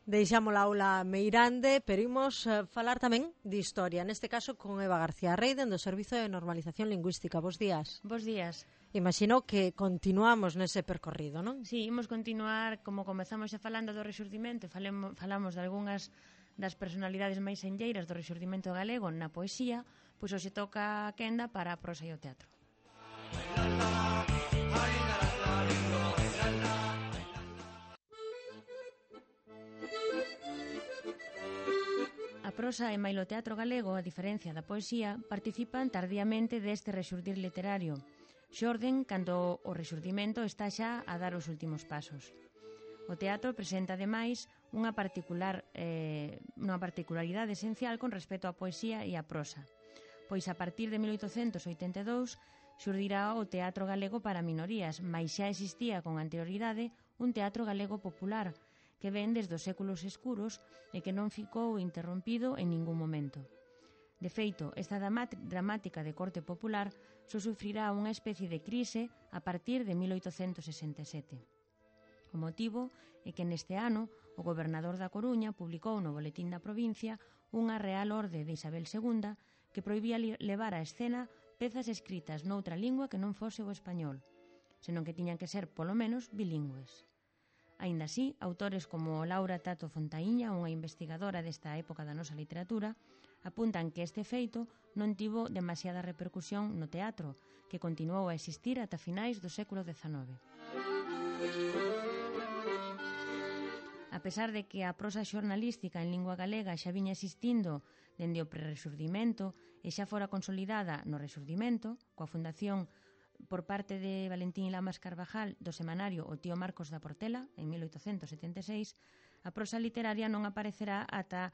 Deixamos a aula meirande, pero imos falar tamén de historia, neste caso con Eva García Reiden do Servizo de Normalización Lingüística. Bos días. Bos días. Imagino que continuamos nese percorrido, non? Sí, imos continuar, como comezamos xa falando do Rexurdimento, falamos de algunhas das personalidades máis enlleiras do Rexurdimento galego na poesía, pois hoxe toca a quenda para a prosa e o teatro. A prosa e mailo teatro galego, a diferencia da poesía, participan tardíamente deste rexurdir literario, xorden cando o rexurdimento está xa a dar os últimos pasos. O teatro presenta, ademais, unha particularidade esencial con respecto á poesía e á prosa, pois a partir de 1882 xurdirá o teatro galego para minorías, mais xa existía con anterioridade un teatro galego popular, que ven desde os séculos escuros e que non ficou interrompido en ningún momento. De feito, esta dramática de corte popular só sufrirá unha especie de crise a partir de 1867. O motivo é que neste ano o gobernador da Coruña publicou no Boletín da Provincia unha Real Orde de Isabel II que prohibía levar á escena pezas escritas noutra lingua que non fose o español, senón que tiñan que ser, polo menos, bilingües. Aínda así, autores como Laura Tato Fontaíña, unha investigadora desta época da nosa literatura, apuntan que este feito non tivo demasiada repercusión no teatro, que continuou a existir ata finais do século XIX. A pesar de que a prosa xornalística en lingua galega xa viña existindo dende o prerrexurdimento e xa fora consolidada no Rexurdimento, coa fundación por parte de Valentín Lamas Carvajal do semanario O tío Marcos da Portela, en 1876, a prosa literaria non aparecerá ata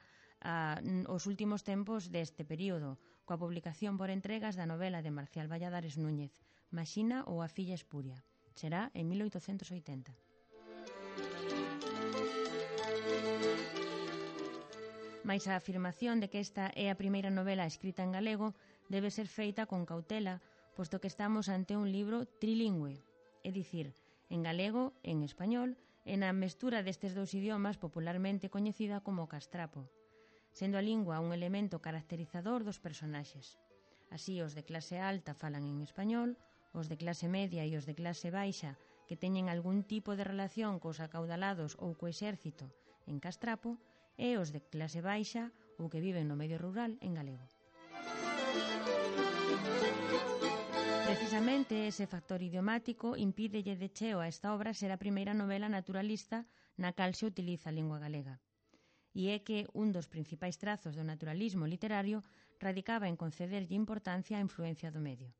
os últimos tempos deste período, coa publicación por entregas da novela de Marcial Valladares Núñez, Maxina ou A filla espuria. Será en 1880. Mais a afirmación de que esta é a primeira novela escrita en galego debe ser feita con cautela, posto que estamos ante un libro trilingüe, é dicir, en galego, en español, e na mestura destes dous idiomas popularmente coñecida como castrapo, sendo a lingua un elemento caracterizador dos personaxes. Así, os de clase alta falan en español, os de clase media e os de clase baixa, que teñen algún tipo de relación cos acaudalados ou co exército, en castrapo, e os de clase baixa ou que viven no medio rural, en galego. Precisamente ese factor idiomático impídelle de cheo a esta obra ser a primeira novela naturalista na cal se utiliza a lingua galega. E é que un dos principais trazos do naturalismo literario radicaba en concederlle importancia á influencia do medio.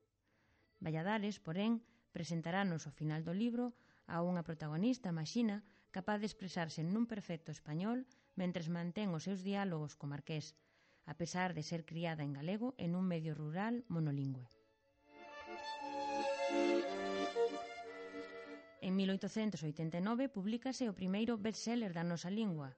Valladares, porén, presentarános ao final do libro a unha protagonista, Maxina, capaz de expresarse nun perfecto español mentres mantén os seus diálogos co marqués, a pesar de ser criada en galego en un medio rural monolingüe. En 1889 publícase o primeiro bestseller da nosa lingua,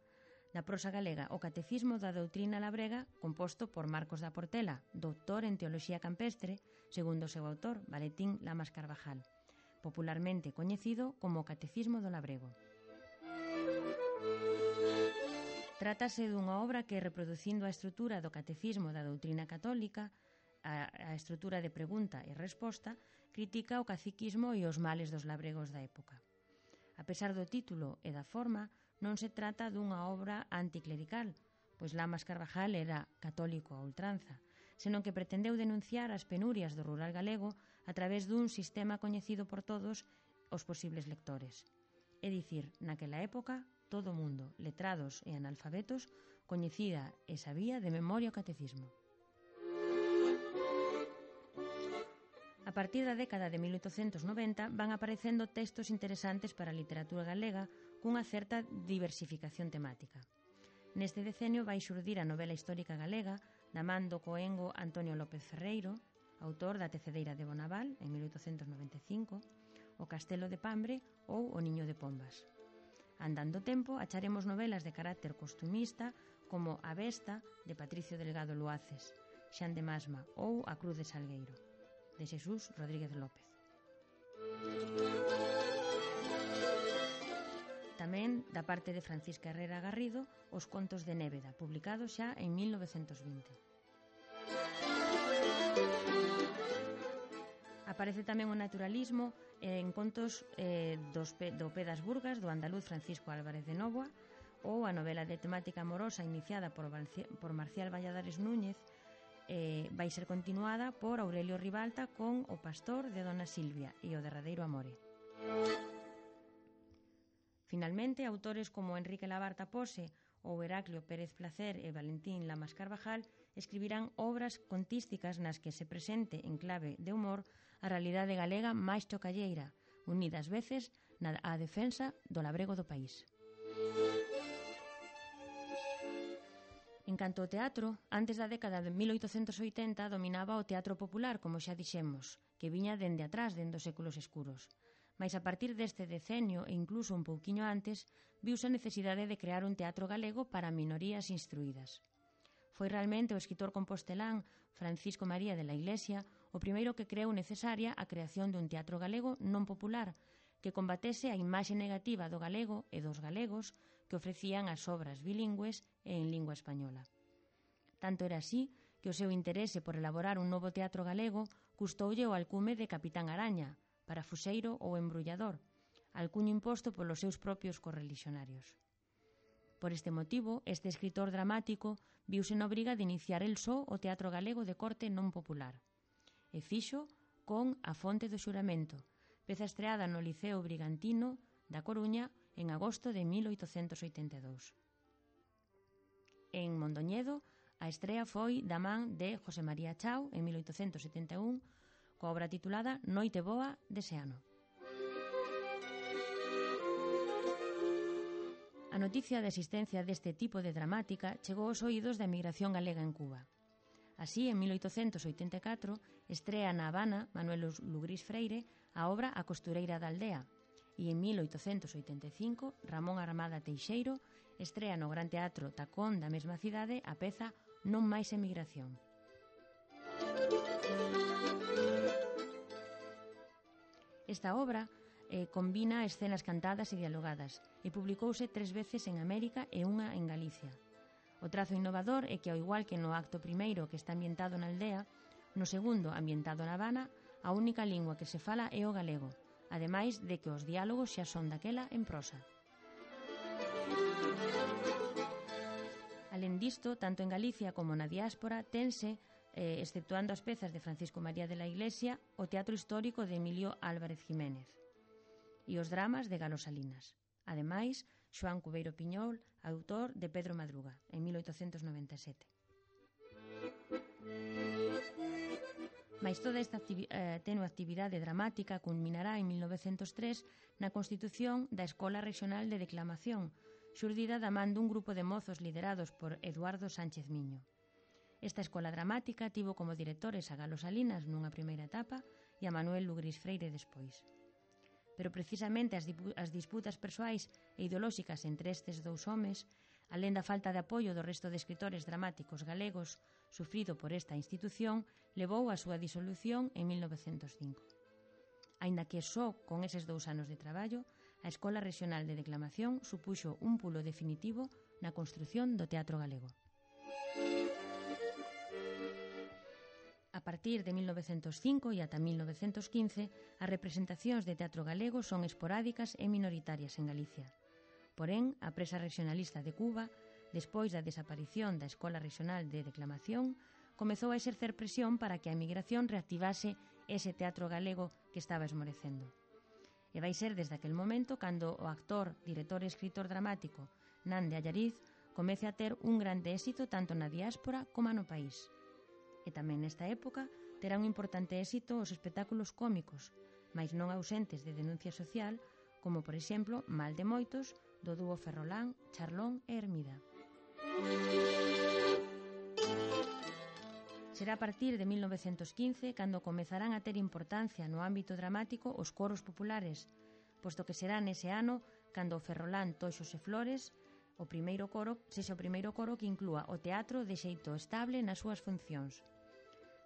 da prosa galega, o Catecismo da Doutrina Labrega, composto por Marcos da Portela, doutor en Teoloxía Campestre, segundo o seu autor, Valentín Lamas Carvajal, popularmente coñecido como o Catecismo do Labrego. Trátase dunha obra que, reproducindo a estrutura do Catecismo da Doutrina Católica, a estrutura de pregunta e resposta, critica o caciquismo e os males dos labregos da época. A pesar do título e da forma, non se trata dunha obra anticlerical, pois Lamas Carvajal era católico a ultranza, senón que pretendeu denunciar as penurias do rural galego a través dun sistema coñecido por todos os posibles lectores. É dicir, naquela época, todo o mundo, letrados e analfabetos, coñecida e sabía de memoria o catecismo. A partir da década de 1890 van aparecendo textos interesantes para a literatura galega cunha certa diversificación temática. Neste decenio vai xurdir a novela histórica galega da man do coengo Antonio López Ferreiro, autor da Tecedeira de Bonaval, en 1895, O Castelo de Pambre ou O Niño de Pombas. Andando tempo, acharemos novelas de carácter costumista como A Besta, de Patricio Delgado Luaces, Xan de Masma ou A Cruz de Salgueiro, de Xesús Rodríguez López. Tamén, da parte parte de Francisca Herrera Garrido, Os contos de Néveda, publicado xa en 1920. Aparece tamén o naturalismo en contos do Pedas Burgas, do andaluz Francisco Álvarez de Novoa, ou a novela de temática amorosa iniciada por Marcial Valladares Núñez vai ser continuada por Aurelio Ribalta con O pastor de Dona Silvia e O derradeiro amore. Finalmente, autores como Enrique Labarta Pose ou Heraclio Pérez Placer e Valentín Lamas Carvajal escribirán obras contísticas nas que se presente en clave de humor a realidade galega máis chocalleira, unida ás veces á defensa do labrego do país. En canto ao teatro, antes da década de 1880 dominaba o teatro popular, como xa dixemos, que viña dende atrás, dende os séculos escuros. Mais a partir deste decenio e incluso un pouquiño antes, viuse a necesidade de crear un teatro galego para minorías instruídas. Foi realmente o escritor compostelán Francisco María de la Iglesia o primeiro que creou necesaria a creación dun teatro galego non popular que combatese a imaxe negativa do galego e dos galegos que ofrecían as obras bilingües e en lingua española. Tanto era así que o seu interese por elaborar un novo teatro galego custoulle o alcume de Capitán Araña, parafuseiro ou embrullador, alcuño imposto polos seus propios correlixionarios. Por este motivo, este escritor dramático viuse na obriga de iniciar el só o teatro galego de corte non popular. E fixo con A fonte do xuramento, peza estreada no Liceo Brigantino da Coruña en agosto de 1882. En Mondoñedo, a estrea foi da man de José María Chao en 1871 coa obra titulada Noite boa dese ano. A noticia da existencia deste tipo de dramática chegou aos oídos da emigración galega en Cuba. Así, en 1884, estrea na Habana Manuel Lugrís Freire a obra A costureira da aldea, e en 1885 Ramón Armada Teixeiro estrea no Gran Teatro Tacón da mesma cidade a peza Non máis emigración. Esta obra combina escenas cantadas e dialogadas e publicouse 3 veces en América e unha en Galicia. O trazo innovador é que, ao igual que no acto primeiro que está ambientado na aldea, no segundo, ambientado na Habana, a única lingua que se fala é o galego, ademais de que os diálogos xa son daquela en prosa. Alén disto, tanto en Galicia como na diáspora, tense, exceptuando as pezas de Francisco María de la Iglesia, o teatro histórico de Emilio Álvarez Jiménez e os dramas de Galo Salinas. Ademais, Xoán Cubeiro Piñol, autor de Pedro Madruga, en 1897. Mais toda esta tenue actividade dramática culminará en 1903 na constitución da Escola Regional de Declamación, xurdida da man dun grupo de mozos liderados por Eduardo Sánchez Miño. Esta escola dramática tivo como directores a Galo Salinas nunha primeira etapa e a Manuel Lugrís Freire despois. Pero precisamente as disputas persoais e ideolóxicas entre estes dous homes, alén da falta de apoio do resto de escritores dramáticos galegos sufrido por esta institución, levou á súa disolución en 1905. Aínda que só con eses 2 anos de traballo, a Escola Regional de Declamación supuxo un pulo definitivo na construción do teatro galego. A partir de 1905 e ata 1915, as representacións de teatro galego son esporádicas e minoritarias en Galicia. Porén, a presa regionalista de Cuba, despois da desaparición da Escola Regional de Declamación, comezou a exercer presión para que a emigración reactivase ese teatro galego que estaba esmorecendo. E vai ser desde aquel momento cando o actor, director e escritor dramático Nan de Allariz comece a ter un grande éxito tanto na diáspora como no país. E tamén nesta época terá un importante éxito os espectáculos cómicos, mais non ausentes de denuncia social, como por exemplo Mal de Moitos, do dúo Ferrolán, Charlón e Hermida. Será a partir de 1915 cando comezarán a ter importancia no ámbito dramático os coros populares, posto que será nese ano cando o Ferrolán, Toxos e Flores sexa o primeiro coro que inclúa o teatro de xeito estable nas súas funcións.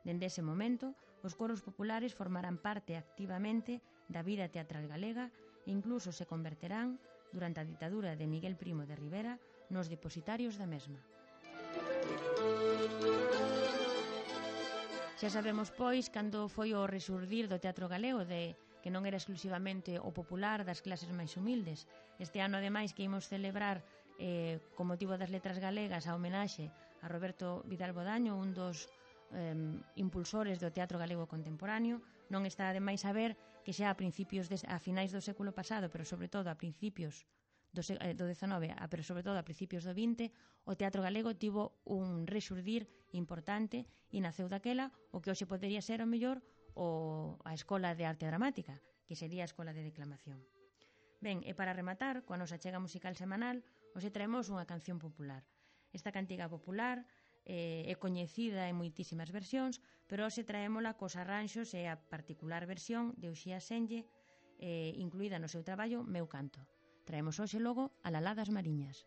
Dende ese momento, os coros populares formarán parte activamente da vida teatral galega e incluso se converterán durante a ditadura de Miguel Primo de Rivera nos depositarios da mesma. Xa sabemos, pois, cando foi o resurdir do teatro galego, que non era exclusivamente o popular das clases máis humildes. Este ano, ademais, que imos celebrar con motivo das letras galegas a homenaxe a Roberto Vidal Bodaño, un dos impulsores do teatro galego contemporáneo. Non está ademais a ver que xa a finais do século pasado, pero sobre todo a principios do XIX, pero sobre todo a principios do XX, o teatro galego tivo un rexurdir importante e naceu daquela o que hoxe podería ser o mellor a Escola de Arte Dramática, que sería a Escola de Declamación. Ben, e para rematar, coa nosa chega musical semanal, hoxe traemos unha canción popular. Esta cantiga popular é coñecida en moitísimas versións, pero hoxe traémola cos arranxos e a particular versión de Uxía Senlle, incluída no seu traballo Meu Canto. Traemos hoxe logo a Lalá das Mariñas.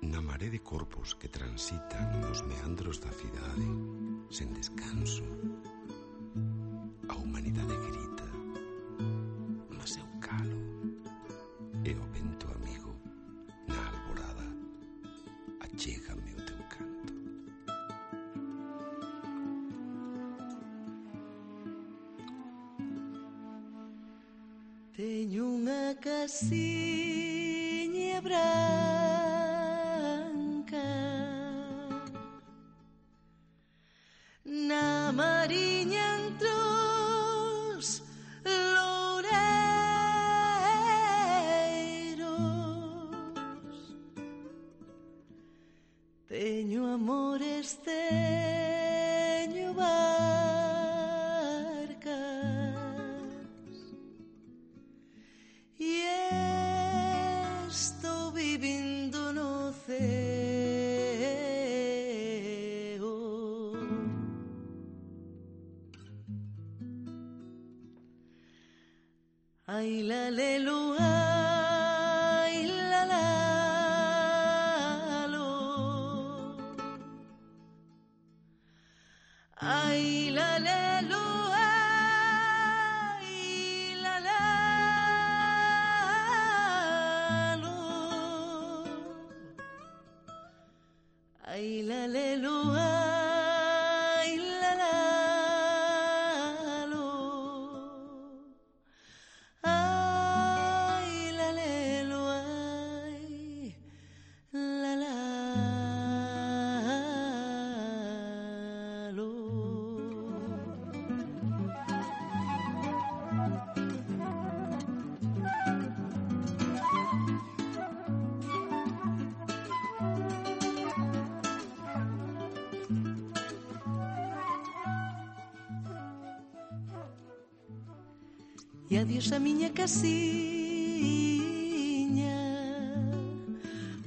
Na maré de corpos que transitan nos meandros da cidade, sen descanso, a humanidade grita, mas eu calo, e o vento amigo, na alborada, achégame o teu canto. Teño unha casiña branca na mariña entre os loureiros. Teño amores, teño barcas e estou vivindo no ceo. Ai la lelu, ai la lalo, ai la lelu, ai la lalo, ai la lelu, ai la lalo, ai la lelu, ai la lalo. E adiós a miña casiña,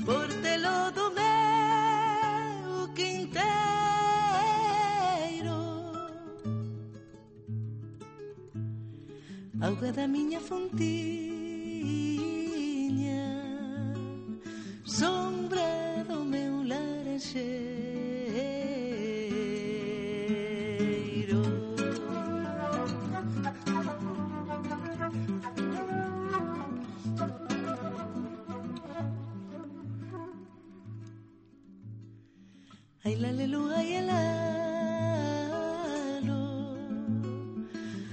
por telo do meu quinteiro, auga da miña fontiña, sombra do meu laranxeiro. Ai la lelu, ai la lalo,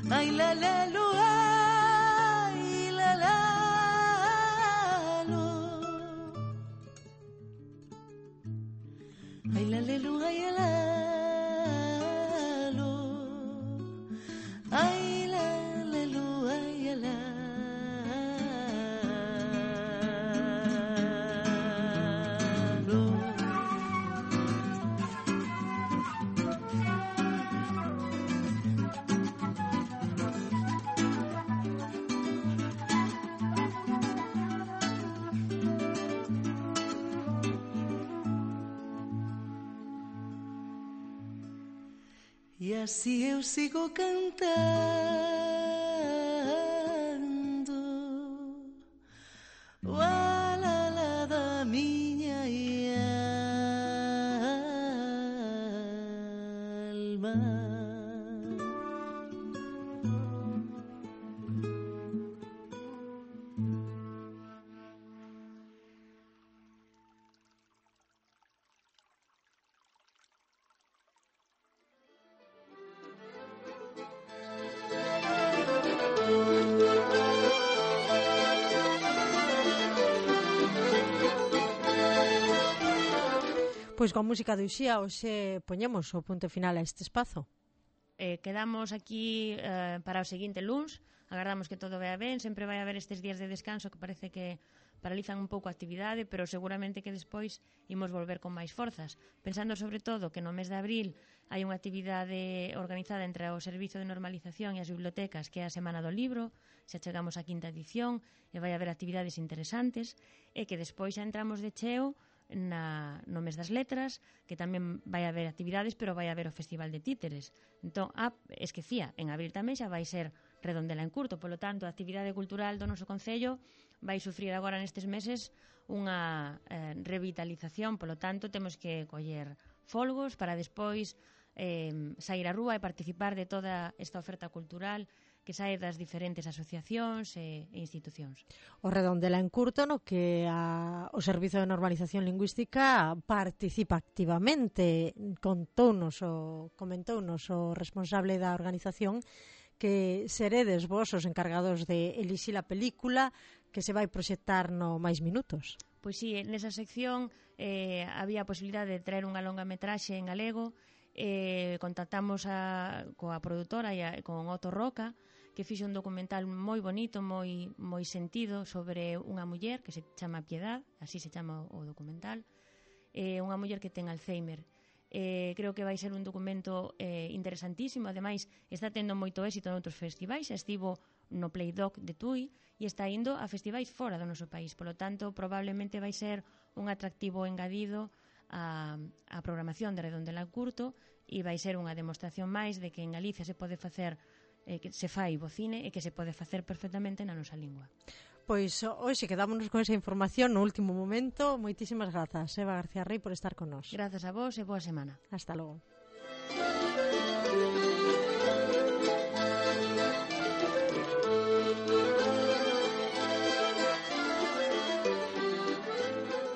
ai la lelu, ai la lalo, ai la lelu, ai la lalo, ai la lelu, ai la lalo. E assim eu sigo cantando o alala da minha mar. Pois coa música de Uxía hoxe poñemos o punto final a este espazo. Quedamos aquí para o seguinte luns. Agardamos que todo vea ben. Sempre vai haber estes días de descanso que parece que paralizan un pouco a actividade, pero seguramente que despois imos volver con máis forzas. Pensando sobre todo que no mes de abril hai unha actividade organizada entre o Servizo de Normalización e as bibliotecas, que é a Semana do Libro, xa chegamos á 5ª edición e vai haber actividades interesantes, e que despois xa entramos de cheo no mes das letras, que tamén vai haber actividades, pero vai haber o Festival de Títeres. Entón, esquecía, en abril tamén xa vai ser Redondela en Curto, polo tanto, a actividade cultural do noso concello vai sufrir agora nestes meses unha revitalización, polo tanto, temos que coller folgos para despois sair á rúa e participar de toda esta oferta cultural que sae das diferentes asociacións e institucións. O Redondela en Curto, no que o Servizo de Normalización Lingüística participa activamente. Comentounos o responsable da organización que seredes vos os encargados de elixir a película que se vai proxectar no Máis Minutos. Pois sí, nesa sección había a posibilidade de traer unha longa metraxe en galego. Contactamos coa produtora e con Otto Roca, que fixo un documental moi bonito, moi sentido, sobre unha muller que se chama Piedad, así se chama o documental, unha muller que ten Alzheimer. Creo que vai ser un documento interesantísimo. Ademais, está tendo moito éxito noutros festivais. Estivo no Playdoc de Tui e está indo a festivais fora do noso país. Polo tanto, probablemente vai ser un atractivo engadido a programación de Redondela en Curto, e vai ser unha demostración máis de que en Galicia se pode facer, que se fai bo cine e que se pode facer perfectamente na nosa lingua. Pois hoxe quedámonos con esa información no último momento. Moitísimas grazas, Eva García Rey, por estar con nós. Grazas a vos e boa semana. Hasta logo.